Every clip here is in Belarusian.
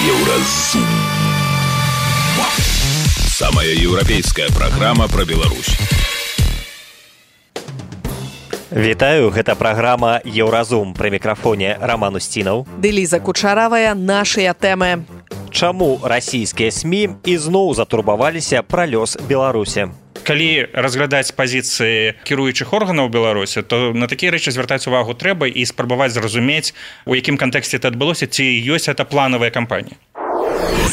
Еўразум. Самая еўрапейская праграма пра Беларусь. Вітаю, гэта праграма «Еўразум». Пры мікрафоне Роман Устінаў. Ды Ліза Кучаравая, нашыя тэмы. Чаму расійскія СМІ ізноў затурбаваліся пра лёс Беларусі? Калі разглядаць пазіцыі кіруючых органаў Беларусі, то на такія рэчы звяртаць увагу трэба і спрабаваць зразумець, у якім кантэксце это адбылося, ці ёсць гэта планавая кампанія.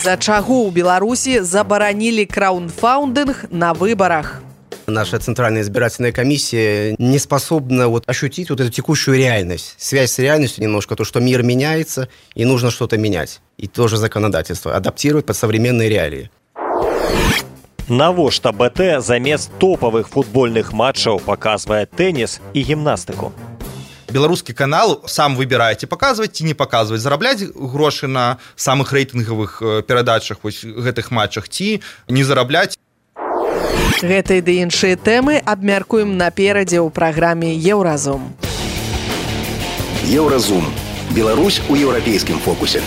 За чаго ў Беларусі забаранілі краундфаундинг на выборах? Наша Центральная избирательная комиссия не способна ощутить эту текущую реальность. Связь с реальностью немножко, то, что мир меняется, и нужно что-то менять. И тоже законодательство адаптировать под современные реалии. Навошта БТ замест топавых футбольных матчаў паказвае тэніс і гімнастыку? Беларускі канал сам выбірае, ці паказваць, ці не паказваць, зарабляць грошы на самых рэйтынгавых перадачах гэтых матчах, ці не зарабляць. Гэтыя ды іншыя тэмы абмяркуем наперадзе ў праграме «Еўразум». Еўразум. Беларусь у еўрапейскім фокусе.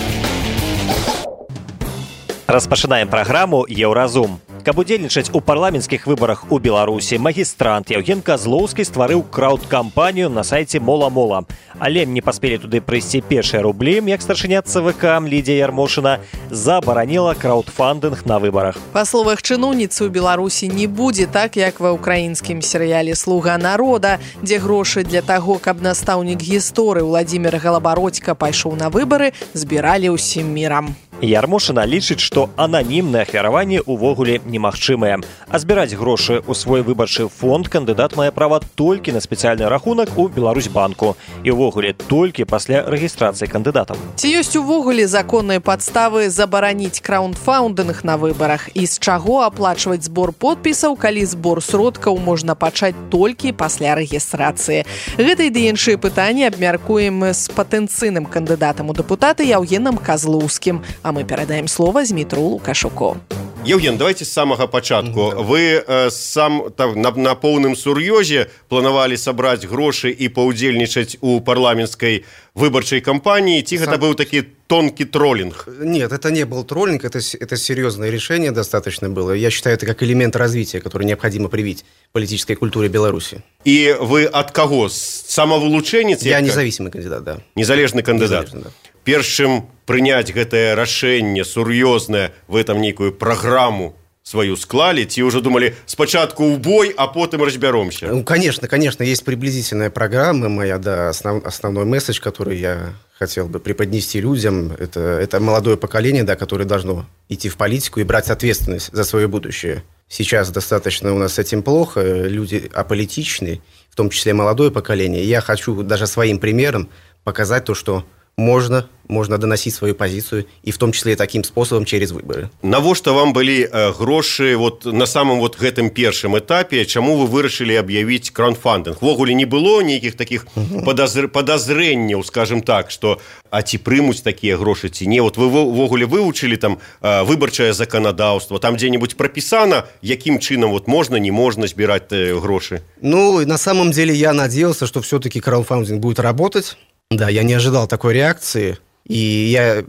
Распачынаем праграму «Еўразум». Каб удзельнічаць у парламенцкіх выбарах у Беларусі, магістрант Яўген Казлоўскі стварыў крауд-кампанію на сайце Мола-Мола. Але не паспелі туды прыйсці першыя рублі, як старшыня ЦВК Лідія Ярмошына забараніла краудфандинг на выбарах. Па словах чыноўніцы, у Беларусі не будзе так, як ва ўкраінскім серыяле «Слуга народа», дзе грошы для таго, каб настаўнік гісторыі Владзімір Галабародзька пайшоў на выбары, збіралі ўсім мірам. Ярмошына лічыць, што ананімнае ахвяраванне ўвогуле немагчымае. А збіраць грошы ў свой выбарчы фонд кандыдат мае права толькі на спецыяльны рахунак у Беларусьбанку і ўвогуле толькі пасля рэгістрацыі кандыдатам. Ці ёсць увогуле законныя падставы забараніць краундфаундинг на выбарах і з чаго аплачваць збор подпісаў, калі збор сродкаў можна пачаць толькі пасля рэгістрацыі? Гэта і ды іншыя пытанні абмяркуем з патэнцыйным кандыдатам у дэпутаты Яўгенам Казлоўскім. А мы перадаем слово Змітру Лукашуку. Евген, давайте с самого початку. Вы на поўным сур'ёзе планавалі сабраць грошы і паўдзельнічаць у парламенцкай выбарчай кампании, ці гэта был такі тонкий троллинг? Нет, это не был троллинг, это серьезное решение достаточно было. Я считаю, это как элемент развития, который необходимо привить политической культуре Беларуси. И вы от кого? Самовылучэнец? Я независимый кандидат, да. Незалежны кандидат. Незалежный, да. Першым прыняць гэтае рашэнне сур'ёзнае, вы там нейкую праграму свою склали, ці уже думали спочатку в бой, а потом разберемся? Ну, конечно, есть приблизительная программа моя, да, основной месседж, который я хотел бы преподнести людям, это молодое поколение, да, которое должно идти в политику и брать ответственность за свое будущее. Сейчас достаточно у нас с этим плохо, люди аполитичны, в том числе молодое поколение. И я хочу даже своим примером показать то, что можно доносить свою позицию, и в том числе и таким способом через выборы. Навошта вам былі грошы на самым гэтым першым этапе, чаму вы вырашылі аб'явіць краундфандинг? Ввогуле не было нейкіх такіх подазрэнняў, скажем так, што а ці прымуць такія грошы ці не? Вы ввогуле вывучылі там выбарчае заканадаўства, там дзе-нибудь прапісана, якім чынам можна, не можна збіраць грошы? Ну, на самом деле я надеялся, что все-таки краундфандинг будет работать. Да, я не ожидал такой реакции, и я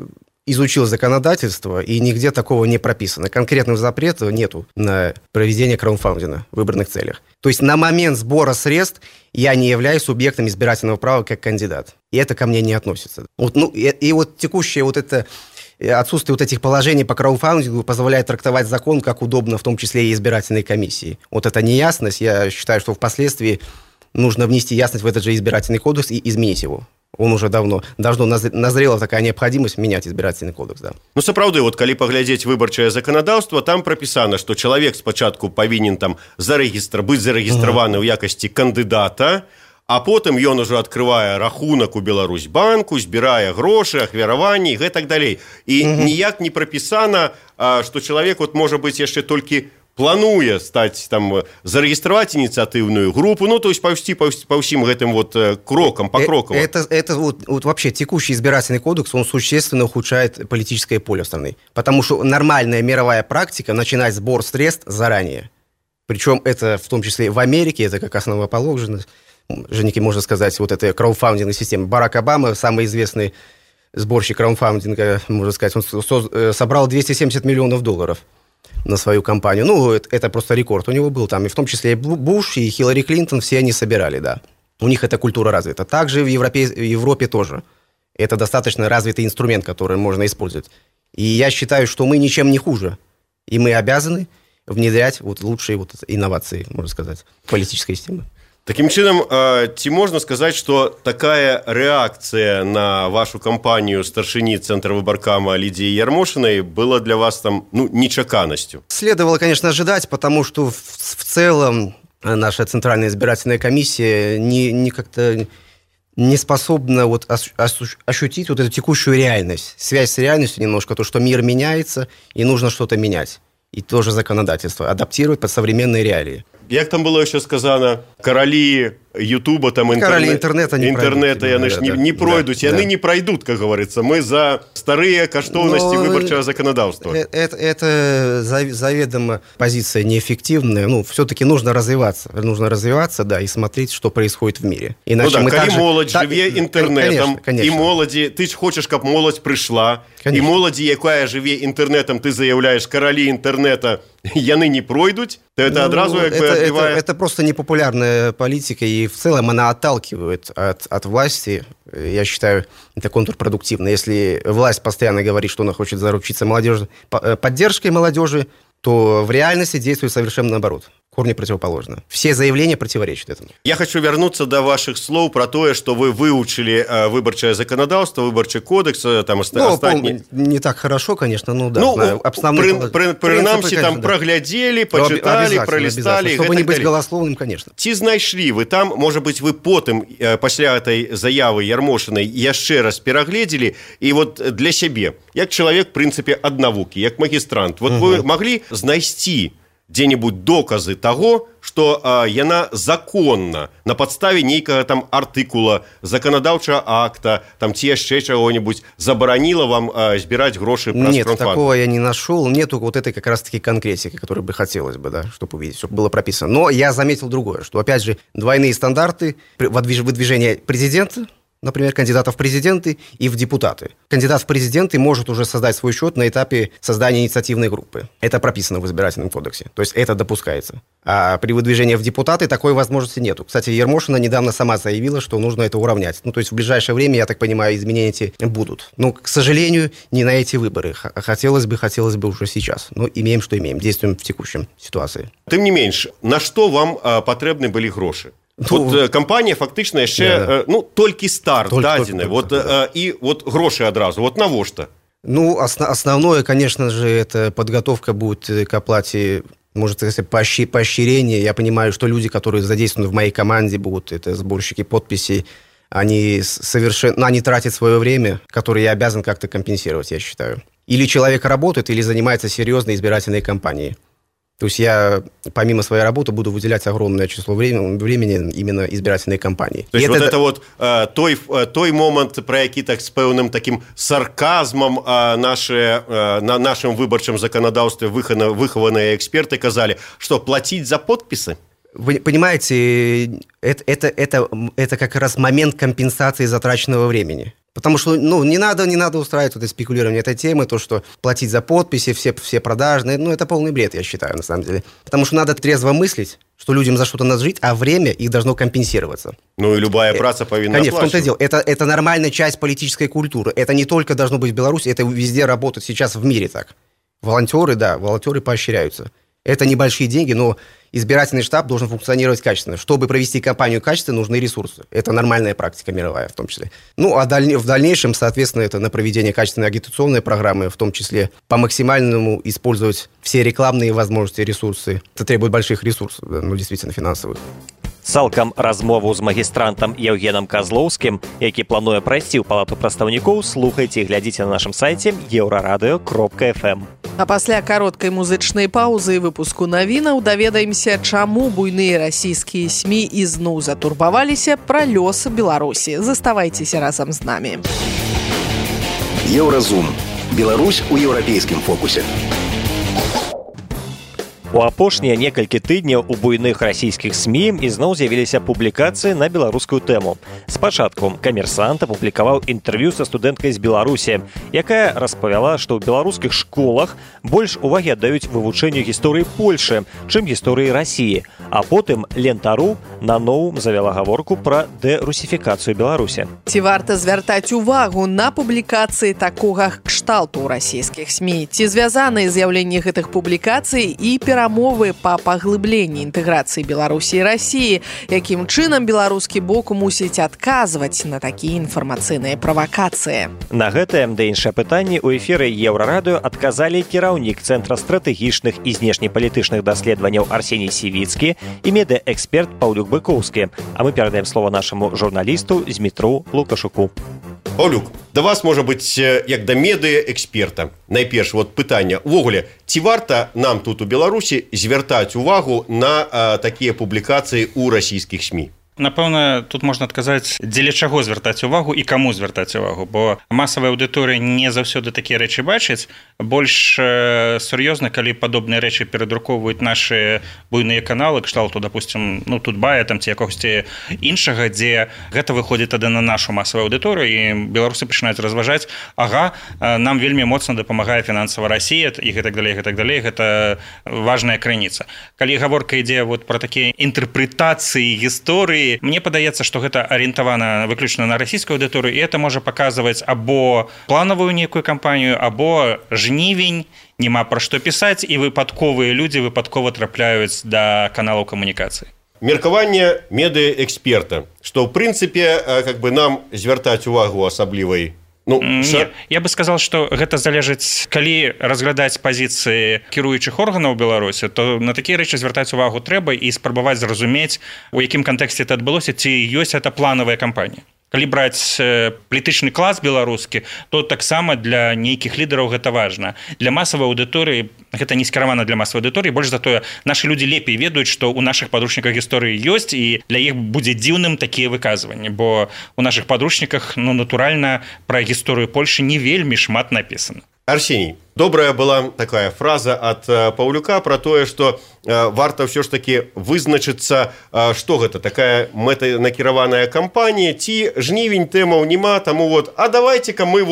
изучил законодательство, и нигде такого не прописано. Конкретного запрета нету на проведение краундфандинга в выборных целях. То есть на момент сбора средств я не являюсь субъектом избирательного права как кандидат. И это ко мне не относится. И текущее это отсутствие этих положений по краундфандингу позволяет трактовать закон как удобно, в том числе и избирательной комиссии. Это неясность. Я считаю, что впоследствии нужно внести ясность в этот же избирательный кодекс и изменить его. Он уже давно назрела такая необходимость менять избирательный кодекс, да. Ну, сапраўды, калі паглядзець выбарчае заканадаўства, там прапісана, што чалавек спачатку павінен там быць зарэгістраваны ў якасці кандыдата, а потым ён ужо адкрывае рахунак у Беларусьбанку, збірае грошы, ахвяраванні і гэтак далей. І ніяк не прапісана, што чалавек можа быць яшчэ толькі плануе стаць там зарэгістраваць ініцыятыўную группу, то есть паўсці па ўсім гэтым крокам, покроково. Это вообще текущий избирательный кодекс, он существенно ухудшает политическое поле страны, потому что нормальная мировая практика начинать сбор средств заранее. Причем это в том числе в Америке, это как основоположность, можно сказать, это краудфандинговая система. Барак Обама, самый известный сборщик краундфандинга, можно сказать, он собрал $270 миллионов на свою кампанию. Ну, это просто рекорд у него был там. И в том числе и Буш, и Хиллари Клинтон, все они собирали, да. У них эта культура развита. Также в Европе тоже. Это достаточно развитый инструмент, который можно использовать. И я считаю, что мы ничем не хуже. И мы обязаны внедрять лучшие инновации, можно сказать, политической системы. Таким чином, ці можна сказаць, што такая рэакцыя на вашу кампанію старшыні Цэнтра выбаркама Лидии Ярмошиной была для вас там, нечаканностью? Следовало, конечно, ожидать, потому что в целом наша Центральная избирательная комиссия как-то не способна ощутить эту текущую реальность, связь с реальностью немножко, то, что мир меняется, и нужно что-то менять. И тоже законодательство адаптировать под современные реалии. Як там было еще сказано, короли Ютуба, там интернета не пройдут, и они не пройдут, как говорится. Мы за старые каштовности выборчего законодательства. Это заведомо позиция неэффективная. Все-таки нужно развиваться, да, и смотреть, что происходит в мире. Иначе молодь живе интернетом, конечно. И молоді, ты хочешь, чтобы молодь пришла, конечно. И молоді, якая живе интернетом, ты заявляешь, короли интернета, яны не пройдут, то это одразу это просто непопулярная политика, и в целом она отталкивает от власти. Я считаю, это контрпродуктивно. Если власть постоянно говорит, что она хочет заручиться поддержкой молодежи, то в реальности действует совершенно наоборот. Корни противоположно. Все заявления противоречат этому. Я хочу вернуться до ваших слов про то, что вы выучили выборчее законодательство, выборчий кодекс, там остальные... Не так хорошо, конечно, знаю. Принамсі там проглядели, почитали, пролистали. Чтобы не быть голословным, конечно. Ці знайшлі вы там, может быть, вы потым, пасля этой заявы Ярмошиной, яшчэ раз перагледзелі, и для сябе, як чалавек, в принципе, ад навукі, як магістрант, вы могли знайсці где-нибудь доказы того, что яна законна на подставе нейкага там артыкула, законодаўчага акта, там ці яшчэ чего-нибудь забараніла вам збирать гроши праз Нет, краудфандинг? Такого я не нашел. Нету этой как раз-таки конкретики, которой бы хотелось бы, да, чтобы увидеть, чтобы было прописано. Но я заметил другое, что, опять же, двойные стандарты выдвижения президента, например, кандидатов в президенты и в депутаты. Кандидат в президенты может уже создать свой счет на этапе создания инициативной группы. Это прописано в избирательном кодексе. То есть это допускается. А при выдвижении в депутаты такой возможности нету. Кстати, Ярмошина недавно сама заявила, что нужно это уравнять. То есть в ближайшее время, я так понимаю, изменения эти будут. Но, к сожалению, не на эти выборы. Хотелось бы уже сейчас. Но имеем, что имеем. Действуем в текущей ситуации. Тем не меньше, на что вам потребны были гроши? Кампанія фактычна яшчэ толькі старт дадзены і грошы адразу навошта? Основное, конечно же, это подготовка будет к оплате, может сказать, поощрение. Я понимаю, что люди, которые задействованы в моей команде, будут это сборщики подписей, они тратят свое время, которое я обязан как-то компенсировать, я считаю. Или человек работает, или занимается серьезной избирательной кампанией. То есть я, помимо своей работы, буду выделять огромное число времени именно избирательной кампании. То есть той момент, про які так з певним таким сарказмом на нашем выборчем законодавстве выхованные эксперты казали, что платить за подписи? Вы понимаете, это как раз момент компенсации затраченного времени. Потому что не надо устраивать это спекулирование этой темы, то, что платить за подписи, все продажные, это полный бред, я считаю, на самом деле. Потому что надо трезво мыслить, что людям за что-то надо жить, а время их должно компенсироваться. И любая праца повинна конечно, в том-то и дело. Это нормальная часть политической культуры. Это не только должно быть в Беларуси, это везде работает сейчас в мире так. Волонтеры поощряются. Это небольшие деньги, но избирательный штаб должен функционировать качественно. Чтобы провести кампанию качественно, нужны ресурсы. Это нормальная практика мировая в том числе. В дальнейшем, соответственно, это на проведение качественной агитационной программы, в том числе по максимальному использовать все рекламные возможности, ресурсы. Это требует больших ресурсов, действительно финансовых. Цалкам размову з магістрантам Евгеном Козловскім, які плануе прайсці ў палату прадстаўнікоў, слухайце і глядзіце на нашым сайце euraradio.fm. А пасля кароткай музычнай паўзы і выпуску навінаў даведаемся, чаму буйныя расійскія СМІ ізноў затурбаваліся пра лёс Беларусі. Заставайцеся разам з намі. Еўразум. Беларусь у еўрапейскім фокусе. У апошнія некалькі тыдняў у буйных расійскіх СМІ ізноў з'явіліся публікацыі на беларускую тэму. Спачатку «Камерсант» апублікаваў інтэрв'ю са студэнткай з Беларусі, якая распавяла, што ў беларускіх школах больш увагі аддаюць вывучэнню гісторыі Польшы, чым гісторыі Расіі. А потым Лента.ру наноў завяла гаворку пра дэрусіфікацыю Беларусі. Ці варта звяртаць увагу на публікацыі такога кшталту ў расійскіх СМІ? Ці звязаныя з'яўленні гэтых публікацый і перамовы па паглыбленні інтэграцыі Беларусі і Расіі, якім чынам беларускі бок мусіць адказваць на такія інфармацыйныя правакацыі? На гэтае ды іншыя пытанні ў эфіры Еўрарадыё адказалі кіраўнік Цэнтра стратэгічных і знешнепалітычных даследаванняў Арсеній Сівіцкі і медыаэксперт Паўлюк Быкоўскі. А мы перадаем слова нашаму журналісту Змітру Лукашуку. Паўлюк, да вас, можа быць, як да медыаэксперта. Найперш, пытанне. Увогуле, ці варта нам тут у Беларусі звяртаць увагу на такія публікацыі ў расійскіх СМІ? Напэўна, тут можна адказаць, дзеля чаго звяртаць увагу і каму звяртаць увагу, бо масавая аўдыторыя не заўсёды такія рэчы бачыць. Больш сур'ёзна, калі падобныя рэчы перадрукоўваюць нашы буйныя каналы, кшталту, допустим, Тутбая там ці якогосьці іншага, дзе гэта выходзіць тады на нашу масавую аўдыторыю, і беларусы пачынаюць разважаць, нам вельмі моцна дапамагае фінансава Расія і гэтак далей, гэта важная крыніца. Калі гаворка ідзе пра такія інтэрпрэтацыі гісторыі, мне падаецца, што гэта арыентавана выключна на расійскую аўдыторыю, і это можа паказваць або планавую нейкую кампанію, або жнівень, няма пра што пісаць, і выпадковыя людзі выпадкова трапляюць да каналаў камунікацыі. Меркаванне медыаэксперта, што ў прынцыпе нам звяртаць увагу асаблівай. Не, я бы сказал, што гэта залежыць, калі разглядаць пазіцыі кіруючых органаў Беларусі, то на такія рэчы звяртаць увагу трэба і спрабаваць зразумець, у якім кантэксце это адбылося, ці ёсць это планавая кампанія. Калі браць палітычны клас беларускі, то таксама для нейкіх лідараў гэта важна. Для масавай аўдыторыі гэта не скіравана для масавай аўдыторыі, больш за тое, нашы людзі лепей ведаюць, што ў нашых падручніках гісторыі ёсць, і для іх будзе дзіўным такія выказванні, бо ў нашых падручніках, натуральна, пра гісторыю Польшы не вельмі шмат напісана. Арсеній, добрая была такая фраза ад Паўлюка пра тое, што варта ўсё ж такі вызначыцца, што гэта такая мэтанакіраваная кампанія, ці жнівень тэмаў няма, таму давайце-ка мы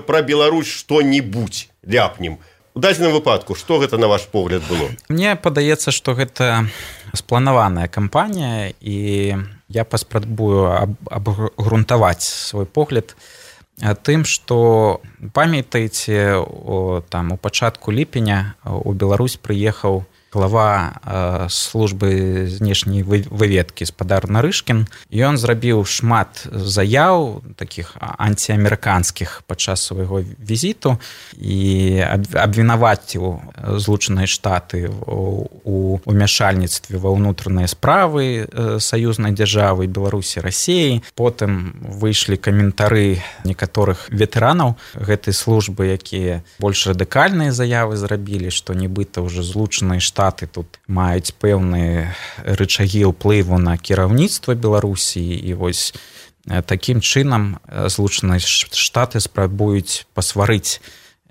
пра Беларусь што-небудзь ляпнем. У дадзеным выпадку, што гэта на ваш погляд было? Мне падаецца, што гэта спланаваная кампанія, і я паспрабую абгрунтаваць свой погляд тым, што памятаеце, у пачатку ліпеня у Беларусь прыехаў глава службы знешняй выведкі спадар Нарышкін. Ён зрабіў шмат заяў такіх антиамерыканскіх падчас свайго візіту і абвінаваціў Злучаныя Штаты у ўмяшальніцтве ва ўнутраныя справы саюзнай дзяржавы Беларусі, Расіі. Потым выйшлі каментары некаторых ветэранаў гэтай службы, якія больш радыкальныя заявы зрабілі, што нібыта ўжо Злучаныя Штаты тут маюць пэўныя рычагі ўплыву на кіраўніцтва Беларусі, і такім чынам Злучаныя Штаты спрабуюць пасварыць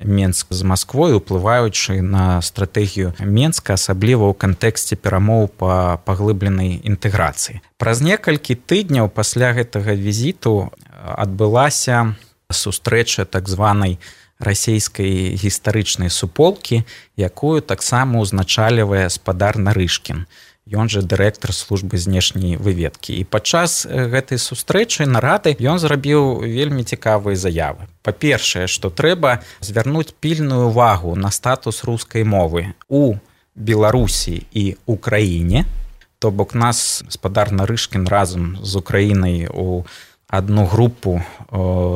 Менск з Масквой, уплываючы на стратэгію Менска, асабліва ў кантэксце перамоў па паглыбленай інтэграцыі. Праз некалькі тыдняў пасля гэтага візіту адбылася сустрэча так званай расійскай гістарычнай суполкі, якую таксама узначальвае спадар Нарышкін. Ён жа дырэктар службы знешняй выведкі. І падчас гэтай сустрэчы нарады ён зрабіў вельмі цікавыя заявы. Па-першае, што трэба звярнуць пільную увагу на статус рускай мовы у Беларусі і Украіне. То бок нас спадар Нарышкін разам з Украінай у адну групу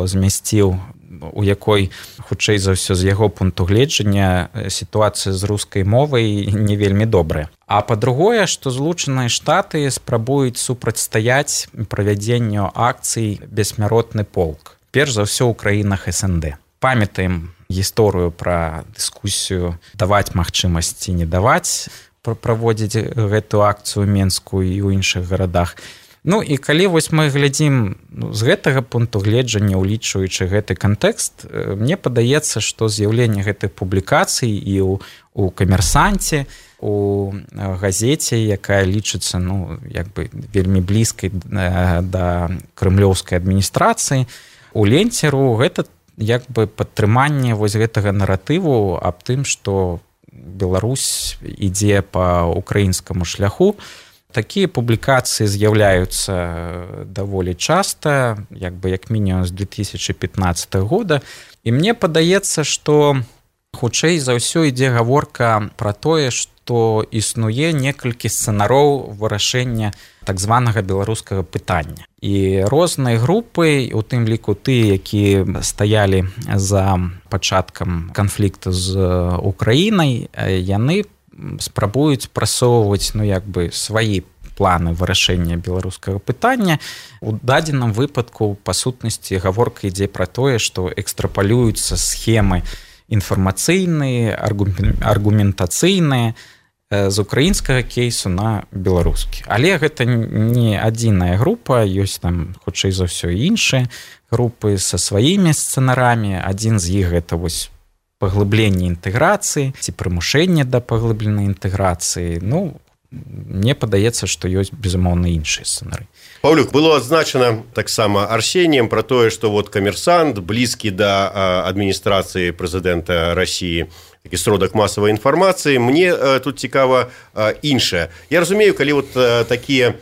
змясціў, у якой, хутчэй за ўсё, з яго пункту гледжання сітуацыя з рускай мовай не вельмі добрая. А па-другое, што Злучаныя Штаты спрабуюць супрацьстаяць правядзенню акцый «Бессмяротны полк». Перш за ўсё ў краінах СНД. Памятаем гісторыю пра дыскусію даваць магчымасць ці не даваць праводзіць гэтую акцыю ў Менску і ў іншых гарадах. І калі мы глядзім з гэтага пункту гледжання, улічваючы гэты кантэкст, мне падаецца, што з'яўленне гэтых публікацый і у «Камерсанце», у газеце, якая лічыцца як бы вельмі блізкай да крымлёўскай адміністрацыі, у ленцеру гэта як бы падтрыманне вось гэтага наратыву аб тым, што Беларусь ідзе па украінскаму шляху. Такія публікацыі з'яўляюцца даволі часта, як мінімум з 2015 года. І мне падаецца, што хутчэй за ўсё ідзе гаворка пра тое, што існуе некалькі сцэнароў вырашэння так званага беларускага пытання. І розныя групы, у тым ліку тыя, якія стаялі за пачаткам канфлікту з Украінай, яны спрабуюць прасоўваць свае планы вырашэння беларускага пытання. У дадзеным выпадку, па сутнасці, гаворка ідзе пра тое, што экстрапалююцца схемы інфармацыйныя, аргументацыйныя з украінскага кейсу на беларускі. Але гэта не адзіная група, ёсць там, хутчэй за ўсё, іншыя групы са сваімі сцэнарамі. Адзін з іх гэта вось паглыбленне інтэграцыі ці прымушэнне да паглыбленай інтэграцыі. Мне падаецца, што ёсць, безумоўна, іншыя сцэнары. Паўлюк, было адзначана таксама Арсеніем пра тое, што камерсант блізкі да адміністрацыі прэзідэнта Расіі, такі сродак масавай інфармацыі. Мне тут цікава іншае. Я разумею, калі такія,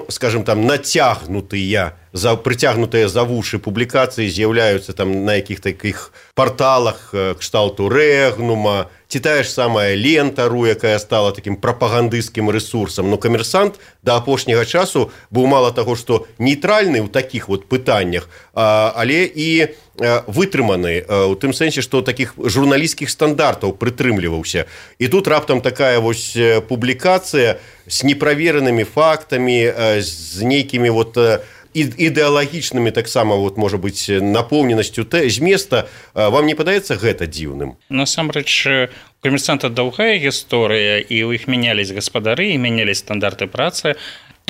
скажем, там нацягнутыя, прыцягнутыя за вушы публікацыі з'яўляюцца там на якіх такіх парталах кшталту Рэгнума, ці тая ж самая Лентару, якая стала такім прапагандысцкім рэсурсам. Камерсант да апошняга часу быў мала таго, што нейтральны ў такіх пытаннях, але і вытрыманы, у тым сэнсе, што такіх журналісцкіх стандартаў прытрымліваўся. І тут раптам такая публікацыя з неправеранымі фактамі, з нейкімі ідэалагічнымі таксама, можа быць, напоўненасцю зместа. Вам не падаецца гэта дзіўным? Насамрэч, у камерсанта доўгая гісторыя, і ў іх мянялись гаспадары, і мянялись стандарты працы.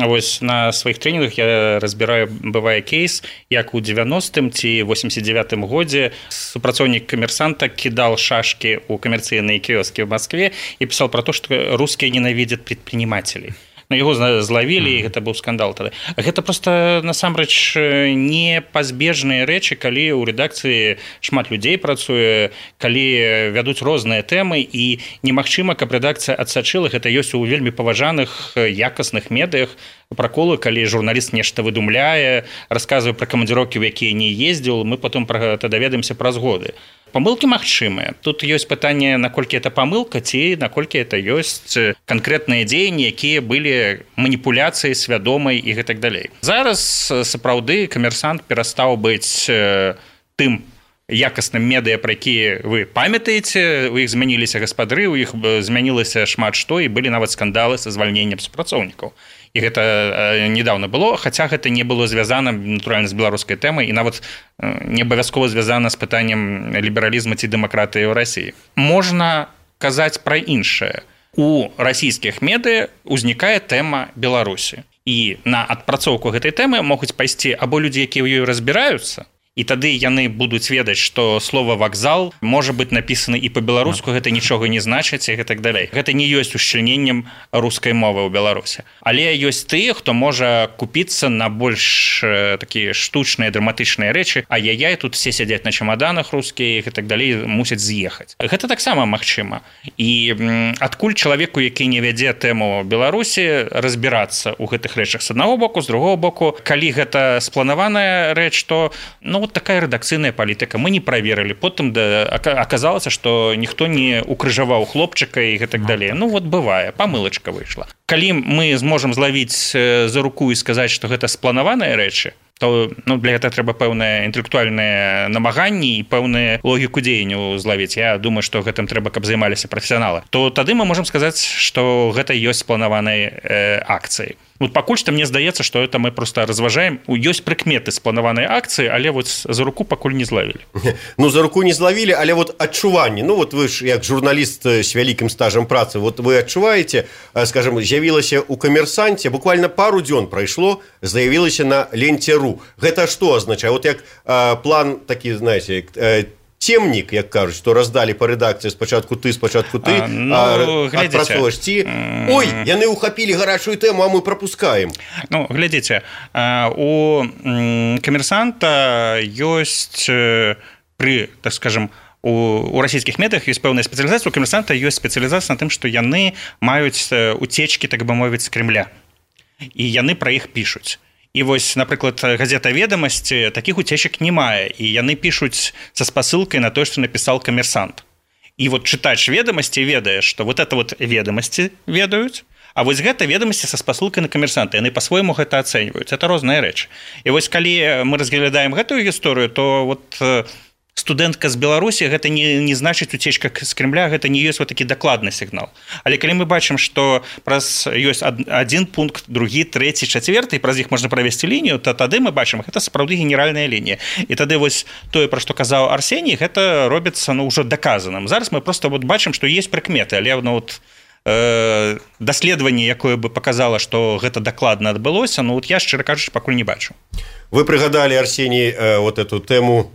Вось на сваіх трэнінгах я разбіраю, бывае кейс, як у 90-м ці 89-м годзе супрацоўнік камерсанта кідал шашкі ў камерцыйныя кіёскі ў Маскве і пісаў пра то, што рускія ненавідзяць прадпрымацелей. Яго злавілі, і гэта быў скандал тады. Гэта проста, насамрэч, непазбежныя рэчы, калі ў рэдакцыі шмат людзей працуе, калі вядуць розныя тэмы, і немагчыма, каб рэдакцыя адсачыла. Гэта ёсць у вельмі паважаных, якасных медыях праколы, калі журналіст нешта выдумляе, расказвае пра камандзіроўкі, у якія не ездзіў, мы потым пра гэта даведаемся праз годы. Памылкі магчымыя. Тут ёсць пытанне, наколькі это памылка, ці наколькі это ёсць канкрэтныя дзеянні, якія былі маніпуляцыяй свядомай і гэтак далей. Зараз сапраўды камерсант перастаў быць тым якасным медыя, пра якія вы памятаеце, у іх змяніліся гаспадары, у іх змянілася шмат што, і былі нават скандалы са звальненнем супрацоўнікаў. І гэта недавно было, хаця гэта не было звязана, натуральна, з беларускай тэмай, і нават не абавязкова звязана з пытаннем лібералізму ці дэмакратыі ў Расіі. Можна казаць пра іншае. У расійскіх медыя узнікае тэма Беларусі. І на адпрацоўку гэтай тэмы могуць пайсці або людзі, якія ў ёй разбіраюцца, і тады яны будуць ведаць, што слова «вакзал» можа быць напісана і па-беларуску, гэта нічога не значыць і гэтак далей. Гэта не ёсць ушчыльненнем рускай мовы ў Беларусі. Але ёсць тыя, хто можа купіцца на больш такія штучныя, драматычныя рэчы, ай-яй-яй, тут все сядзяць на чамаданах рускія і гэтак далей, мусяць з'ехаць. Гэта таксама магчыма. І адкуль чалавеку, які не вядзе тэму Беларусі, разбірацца ў гэтых рэчах з аднаго боку, з другого боку, калі гэта спланаваная рэч, то вот такая рэдакцыйная палітыка. Мы не праверылі. Потым аказалася, што ніхто не укрыжаваў хлопчыка і гэтак далей. Бывае, памылачка выйшла. Калі мы зможам злавіць за руку і сказаць, што гэта спланаваныя рэчы, то для гэтага трэба пэўныя інтэлектуальныя намаганні і пэўную логіку дзеянняў злавіць. Я думаю, што гэтым трэба, каб займаліся прафесіяналы. То тады мы можам сказаць, што гэта ёсць спланаванай акцыі. Пакуль што мне здаецца, што это мы проста разважаем. Ёсць прыкметы спланаванай акцыі, але за руку пакуль не злавілі. За руку не злавілі, але адчуванні. Вы ж як журналіст з вялікім стажам працы, вы адчуваеце, скажем, з'явілася ў камерсанце, буквально пару дзён прайшло, з'явілася на Ленцеру. Гэта што азначае? Як план такі, знаеце, цемнік, як кажуць, што раздалі па рэдакцыі спачатку ты, адпрацоўваеш ці ой, яны ўхапілі гарачую тэму, а мы прапускаем. Ну, глядзіце, у камерсанта ёсць пры, так скажем, у расійскіх медыях ёсць пэўная спецыялізацыя, у камерсанта ёсць спецыялізацыя на тым, што яны маюць уцечкі, так бы мовіць, з Кремля. І яны пра іх пішуць. І вось, напрыклад, газета «Ведамасці» такіх уцечак не мае, і яны пішуць са спасылкай на тое, што напісаў камерсант. І вот чытач «Ведамасці» ведае, што вот это вот «Ведамасці» ведаюць, а вось гэта «Ведамасці» са спасылкай на камерсанта. Яны па-свойму гэта ацэньваюць. Это розныя рэчы. І вось калі мы разглядаем гэтую гісторыю, то вот студэнтка з Беларусі гэта не значыць уцечка з Кремля, гэта не ёсць вот такі дакладны сігнал. Але калі мы бачым, што праз ёсць адзін пункт, другі, трэці, чацвёрты, і праз іх можна правесці лінію, то тады мы бачым, гэта сапраўды генеральная лінія. І тады вось тое, пра што казаў Арсеній, гэта робіцца ўжо даказаным. Зараз мы проста вот бачым, што ёсць прыкметы, але вот даследаванне, якое бы паказала, што гэта дакладна адбылося, ну вот я, шчыра кажучы, пакуль не бачу. Вы прыгадалі, Арсеній, вот эту тэму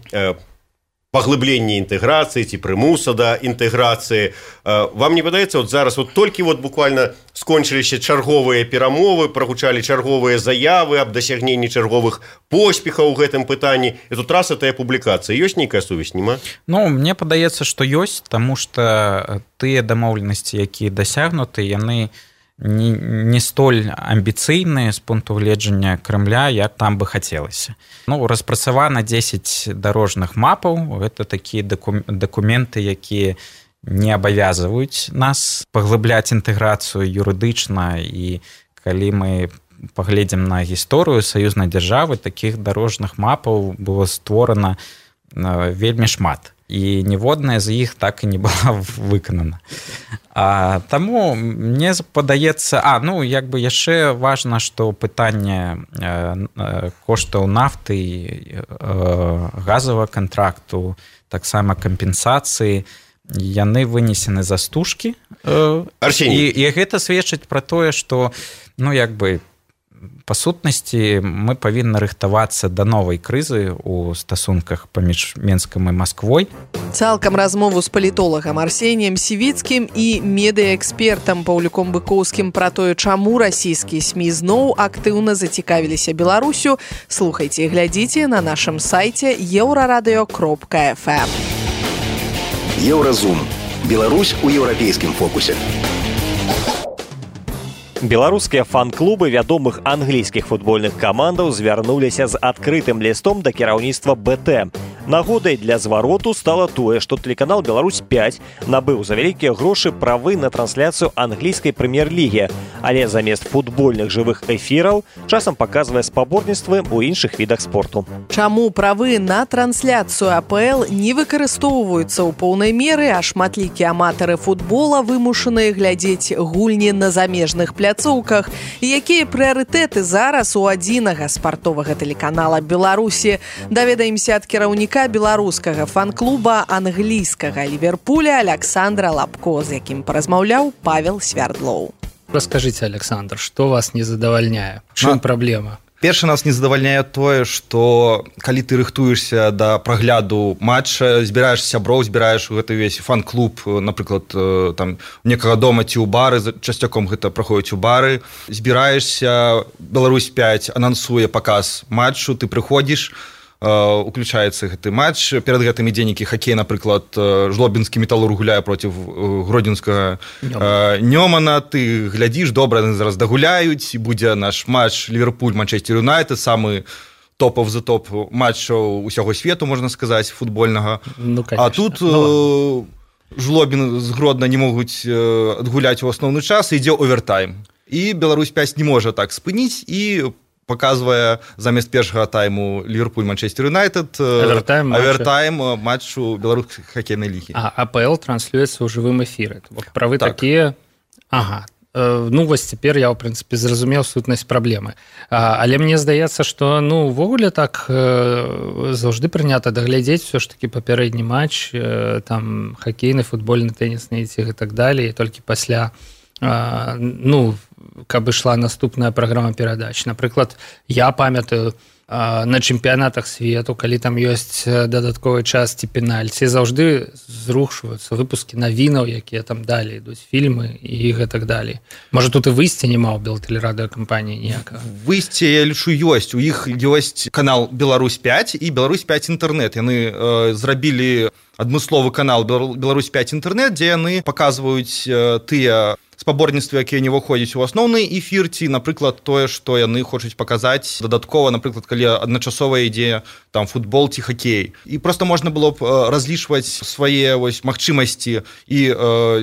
паглыблення інтэграцыі ці прымуса да інтэграцыі. Вам не падаецца, вот зараз вот толькі вот буквально скончыліся чарговыя перамовы, прагучалі чарговыя заявы аб дасягненні чарговых поспехаў у гэтым пытанні, і тут раз этая публікацыя. Ёсць нейкая сувязь, нема? Ну, мне падаецца, што ёсць, таму што тыя дамоўленасці, якія дасягнуты, яны не столь амбіцыйныя з пункту гледжання Кремля, як там бы хацелася. Ну, распрацавана 10 дарожных мапаў. Гэта такія дакументы, якія не абавязваюць нас паглыбляць інтэграцыю юрыдычна, і калі мы паглядзім на гісторыю саюзнай дзяржавы, такіх дарожных мапаў было створана вельмі шмат. І ніводная з іх так і не была выканана. Таму мне падаецца... ну, як бы яшчэ важна, што пытанне коштаў нафты, газавага кантракту, таксама кампенсацыі, яны вынесены за стужкі. І гэта сведчыць пра тое, што, ну, як бы, па сутнасці мы павінны рыхтавацца да новай крызы ў стасунках паміж Менскам і Масквой. Цалкам размову з палітолагам Арсеніем Сівіцкім і медыаэкспертам Паўлюком Быкоўскім пра тое, чаму расійскія СМІ зноў актыўна зацікавіліся Беларусю, слухайце і глядзіце на нашым сайце euraradio.fm. Еўразум. Беларусь у еўрапейскім фокусе. Беларускія фан-клубы вядомых англійскіх футбольных камандаў звярнуліся з адкрытым лістом да кіраўніцтва БТ. Нагодай для звароту стала тое, што тэлеканал «Беларусь-5» набыў за вялікія грошы правы на трансляцыю англійскай прэм'ер-лігі, але замест футбольных жывых эфіраў часам паказвае спаборніцтвы ў іншых відах спорту. Чаму правы на трансляцыю АПЛ не выкарыстоўваюцца ў поўнай меры, а шматлікія аматары футбола вымушаныя глядзець гульні на замежных пляцоўках, і якія прыярытэты зараз у адзінага спартовага тэлеканала Беларусі, даведаемся ад кіраўніка беларускага фан-клуба англійскага Ліверпуля Александра Лапко, з якім паразмаўляў Павел Свярдлоў. Расскажите, Александр, что вас не задавальняе? В чым праблема? Першы нас не задавальняе тое, што калі ты рыхтуешся да прагляду матча, збіраеш сяброў, збіраеш гэты ўвесь фан-клуб, напрыклад, там некага дома ці ў бары, часцяком гэта праходзіць у бары, збіраешся, Беларусь-5 анансуе паказ матчу, ты прыходзіш, уключаецца гэты матч, перад гэтым ідзе нейкі хакей, напрыклад, жлобінскі металург гуляе проціў гродзенскага Нёмана, ты глядзіш, добра, яны зараз дагуляюць, будзе наш матч Ліверпуль-Манчестер Юнайтед, самы топов за топ матчаў усяго свету, можна сказаць, футбольнага. Ну, а тут Жлобін з Гродна не могуць адгуляць у асноўны час, ідзе овертайм. І Беларусь-5 не можа так спыніць, і показывая замест першага тайму Ліверпуль-Манчестер Юнайтед овертайм матчу беларускай хакейнай лігі. А АПЛ транслюецца ў жывым эфіры. Правы так. Такія... Ага. Ну, вось цяпер я, ў прынцыпе, зразумеў сутнасць праблемы. Але мне здаецца, што, ну, увогуле так заўжды прынята даглядзець ўсё ж такі папярэдні матч, там, хакейны, футбольны, тэнісны і так далей, і толькі пасля, ну, каб ішла наступная праграма перадач. Напрыклад, я памятаю, на чэмпіянатах свету, калі там ёсць дадатковы час ці пенальці, заўжды зрушваюцца выпускі навінаў, якія там далей ідуць, фільмы і гэтак далей. Можа, тут і выйсця няма ў белтэлерадыёкампаніі ніякага? Выйсце, я лічу, ёсць. У іх ёсць канал «Беларусь-5» і «Беларусь-5 інтэрнэт». Яны зрабілі адмысловы канал «Беларусь-5 інтэрнэт», дзе яны паказваюць тыя спаборніцтвы, якія не выходзяць у асноўны эфір, ці, напрыклад, тое, што яны хочуць паказаць дадаткова, напрыклад, калі адначасова ідзе там футбол ці хакей. І проста можна было б разлічваць свае магчымасці і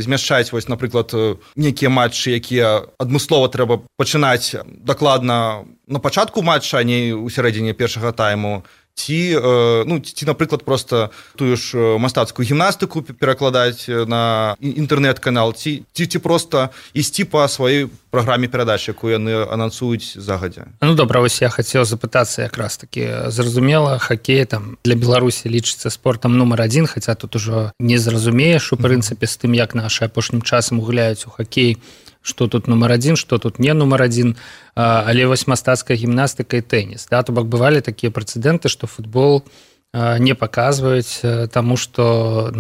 змяшчаць, напрыклад, нейкія матчы, якія адмыслова трэба пачынаць дакладна на пачатку матча, а не ў сярэдзіне першага тайму. Ці, напрыклад, проста тую ж мастацкую гімнастыку перакладаць на інтэрнэт-канал, ці проста ісці па сваёй праграме перадач, якую яны анансуюць загадзя. Ну, добра, вось я хацеў запытацца якраз такі. Зразумела, хакей там для Беларусі лічыцца спортам нумар 1, хаця тут ужо не зразумееш, у прынцыпе, з тым, як нашы апошнім часам гуляюць у хакей, што тут нумар 1, што тут не нумар 1, але вось мастацкая гімнастыка і тэніс. Да? То бок бывалі такія прэцэдэнты, што футбол не паказваюць, таму што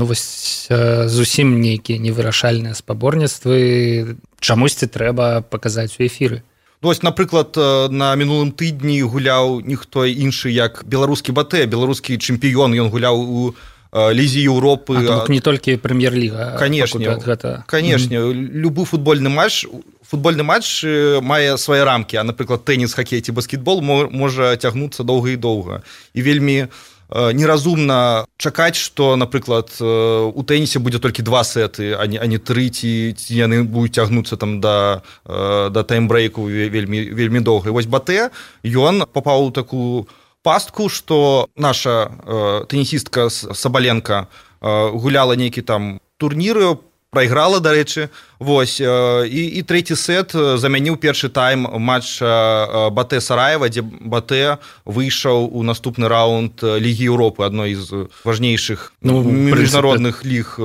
зусім нейкія невырашальныя спаборніцтвы чамусьці трэба паказаць у эфіры. Вось, напрыклад, на мінулым тыдні гуляў ніхто іншы, як беларускі Батэ, беларускі чэмпіён, ён гуляў у Лізе Еўропы. Не толькі прэм'ер-ліга. Канешне, любы футбольны матч мае свае рамкі, а, напрыклад, тэніс, хакей ці баскетбол можа цягнуцца доўга і доўга. І вельмі неразумна чакаць, што, напрыклад, у тэнісе будзе толькі 2 сеты, а не 3, ці яны будуць цягнуцца там да таймбрейку вельмі доўга. І вось Батэ, ён папаў у такую пастку, што наша тэнісістка Сабаленка гуляла нейкі там турніры, прайграла, дарэчы, вось, і трэці сет замяніў першы тайм матча Батэ-Сараева, дзе Батэ выйшаў у наступны раунд Лігі Еўропы, адной з важнейшых міжнародных ліг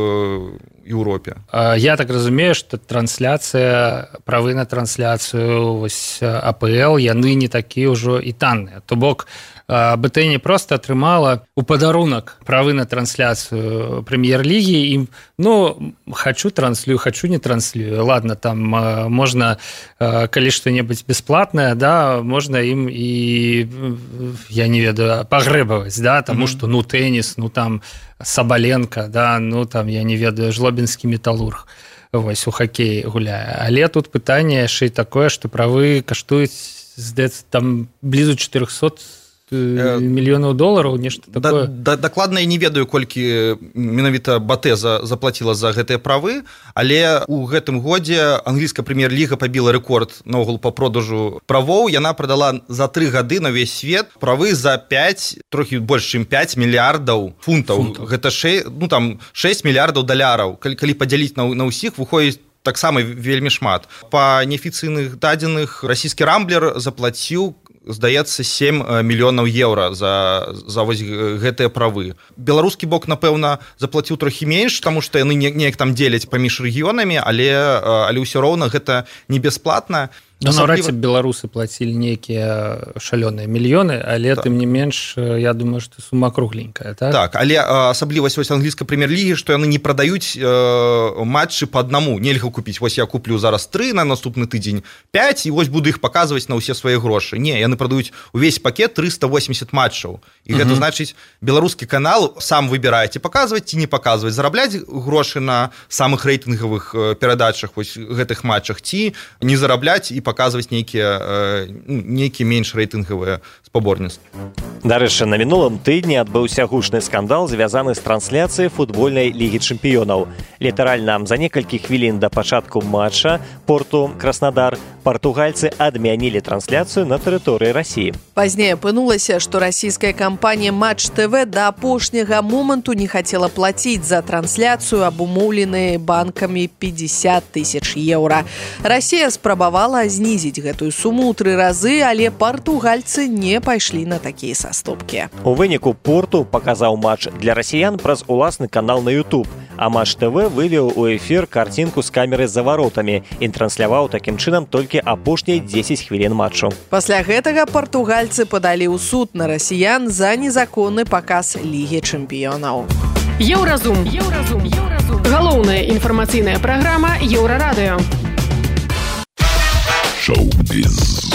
Еўропе. Я так разумею, што трансляцыя, правы на трансляцыю АПЛ, яны не такія ўжо і танныя. То бок, БТ не проста атрымала у падарунак правы на трансляцыю прэм'ер-лігі, і, хачу транслюю, хачу не транслюю. Ладно, там можна, калі што-небудзь бясплатнае, да, можна ім і, я не ведаю, пагрэбаваць, да, таму што, тэніс, там Сабаленка, да, там, я не ведаю, жлобінскі металург, вось, у хакей гуляе. Але тут пытанне яшчэ і такое, што правы каштуюць, здаецца, там блізу 400 мільёнаў долараў, нешта такое. Дакладна я не ведаю, колькі менавіта Батэ заплаціла за гэтыя правы, але ў гэтым годзе англійская прэм'ер-ліга пабіла рэкорд наогул па продажу правоў. Яна прадала за 3 гады на ўвесь свет правы за 5, трохі больш чым 5 мільярдаў фунтаў. Гэта 6 мільярдаў даляраў. Калі падзяліць на ўсіх, выходзіць таксама вельмі шмат. Па неафіцыйных дадзеных расійскі Рамблер заплаціў, здаецца, 7 мільёнаў еўра за вось гэтыя правы. Беларускі бок, напэўна, заплаціў трохі менш, таму што яны неяк там дзеляць паміж рэгіёнамі, але ўсё роўна гэта не бясплатна. Наўрад ці беларусы плацілі нейкія шалёныя мільёны, але тым не менш, я думаю, што сума кругленькая, так? Так, але асаблівасць англійскай прэм'ер-лігі, што яны не прадаюць матчы па аднаму. Нельга купіць, вось я куплю зараз 3 на наступны тыдзень, 5, і вось буду іх паказваць на ўсе свае грошы. Не, яны прадаюць увесь пакет 380 матчаў. І гэта значыць, беларускі канал сам выбірае, ці паказваць, ці не паказваць, зарабляць грошы на самых рэйтынгавых перадачах, вось гэтых матчах, ці не зарабляць і паказваць нейкія менш рэйтынгавыя спаборніцтвы. Дарэчы, на мінулым тыдні адбыўся гучны скандал, звязаны з трансляцыяй футбольнай лігі чэмпіёнаў. Літаральна за некалькі хвілін да пачатку матча Порту-Краснадар партугальцы адмянілі трансляцыю на тэрыторыі Расіі. Пазней апынулася, што расійская кампанія Матч ТВ да апошняга моманту не хацела плаціць за трансляцыю, абумоўленыя банкамі 50 000 еўра. Расія спрабавала знізіць гэтую суму ў 3 разы, але партугальцы не пайшлі на такія саступкі. У выніку Порту паказаў матч для расіян праз уласны канал на YouTube, А Матч ТВ вывеў у эфір картинку з камеры за варотамі і трансляваў такім чынам толькі апошнія 10 хвілін матчу. Пасля гэтага партугальцы падалі ў суд на расіян за незаконны паказ Лігі чэмпіёнаў. Еўразум. Галоўная інфармацыйная праграма Еўрарадыё. Шоу-біз.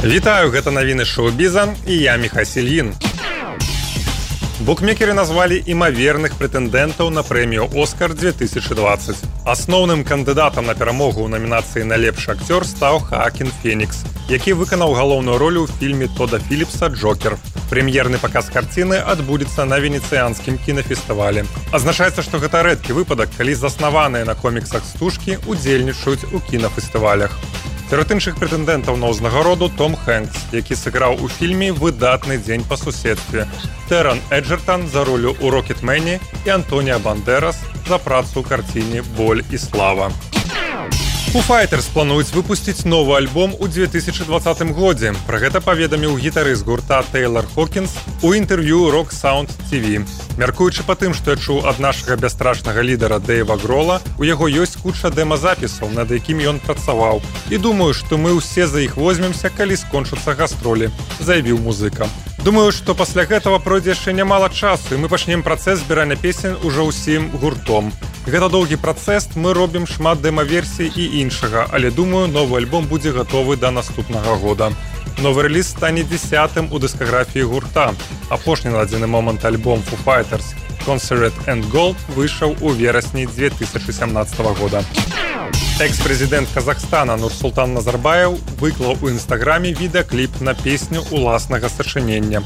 Вітаю, гэта навіны шоу-біза і я Міхась Ільін. Букмекеры назвалі імаверных прэтэндэнтаў на прэмію «Оскар» 2020. Асноўным кандыдатам на перамогу ў намінацыі на лепшы акцёр стаў Хаакін Фенікс, які выканаў галоўную ролю ў фільме Тода Філіпса «Джокер». Прэм'ерны паказ карціны адбудзецца на венецыянскім кінафестывалі. Азначаецца, што гэта рэдкі выпадак, калі заснаваныя на коміксах стужкі удзельнічаюць у кінафестывалях. Сярод іншых прэтэндэнтаў на ўзнагароду Том Хэнкс, які сыграў у фільме «Выдатны дзень па суседстве», Тэран Эджертан за ролю ў «Рокетмене» і Антоніа Бандерас за працу ў карціне «Боль і слава». Foo Fighters плануюць выпусціць новы альбом у 2020 годзе. Пра гэта паведаміў гітарыст гурта Тэйлар Хокінс у інтэрв'ю Rock Sound TV. Мяркуючы па тым, што я чуў ад нашага бясстрашнага лідара Дэйва Грола, у яго ёсць куча дэмазапісаў, над якімі ён працаваў. І думаю, што мы ўсе за іх возьмемся, калі скончацца гастролі, заявіў музыка. Думаю, што пасля гэтага пройдзе яшчэ нямала часу, і мы пачнем працэс збірання песень ужо ўсім гуртом. Гэта доўгі працэс, мы робім шмат дэма-версій і іншага, але думаю, новы альбом будзе гатовы да наступнага года. Новы рэліз стане 10-м у дыскаграфіі гурта. Апошні на дадзены момант альбом Foo Fighters «Concert and Gold» выйшаў у верасні 2017 года. Экс-прэзідэнт Казахстана Нурсултан Назарбаев выклаў у інстаграме відэакліп на песню уласнага сачынення.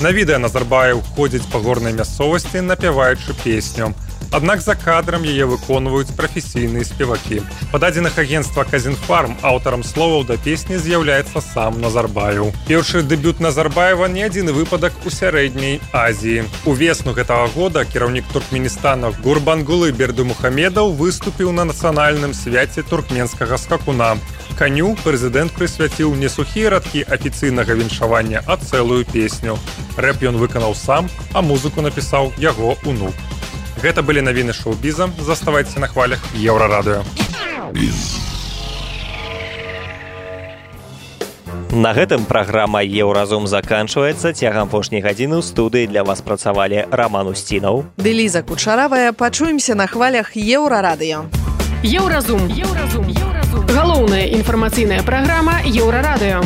На відэа Назарбаев ходзіць па горнай мясцовасці, напяваючы песню. Аднак за кадрам яе выконваюць прафесійныя спевакі. Па дадзеных агенцтва «Казінфарм» аўтарам словаў да песні з'яўляецца сам Назарбаев. Першы дэбют Назарбаева не адзіны выпадак у сярэдняй Азіі. У весну гэтага года кіраўнік Туркменістана Гурбангулы Бердымухамедов выступіў на нацыянальным свяце туркменскага скакуна. Каню прэзідэнт прысвяціў не сухія радкі афіцыйнага віншавання, а цэлую песню. Рэп ён выканаў сам, а музыку напісаў яго унук. Гэта былі навіны шоу-біза. Заставайцеся на хвалях Еўрарадыё. На гэтым праграма «Еўразум» заканчваецца. Цягам апошняй гадзіны ў студыі для вас працавалі Раман Усцінаў ды Ліза Кучаравая. Пачуемся на хвалях Еўрарадыё. Еўразум. Галоўная інфармацыйная праграма Еўрарадыё.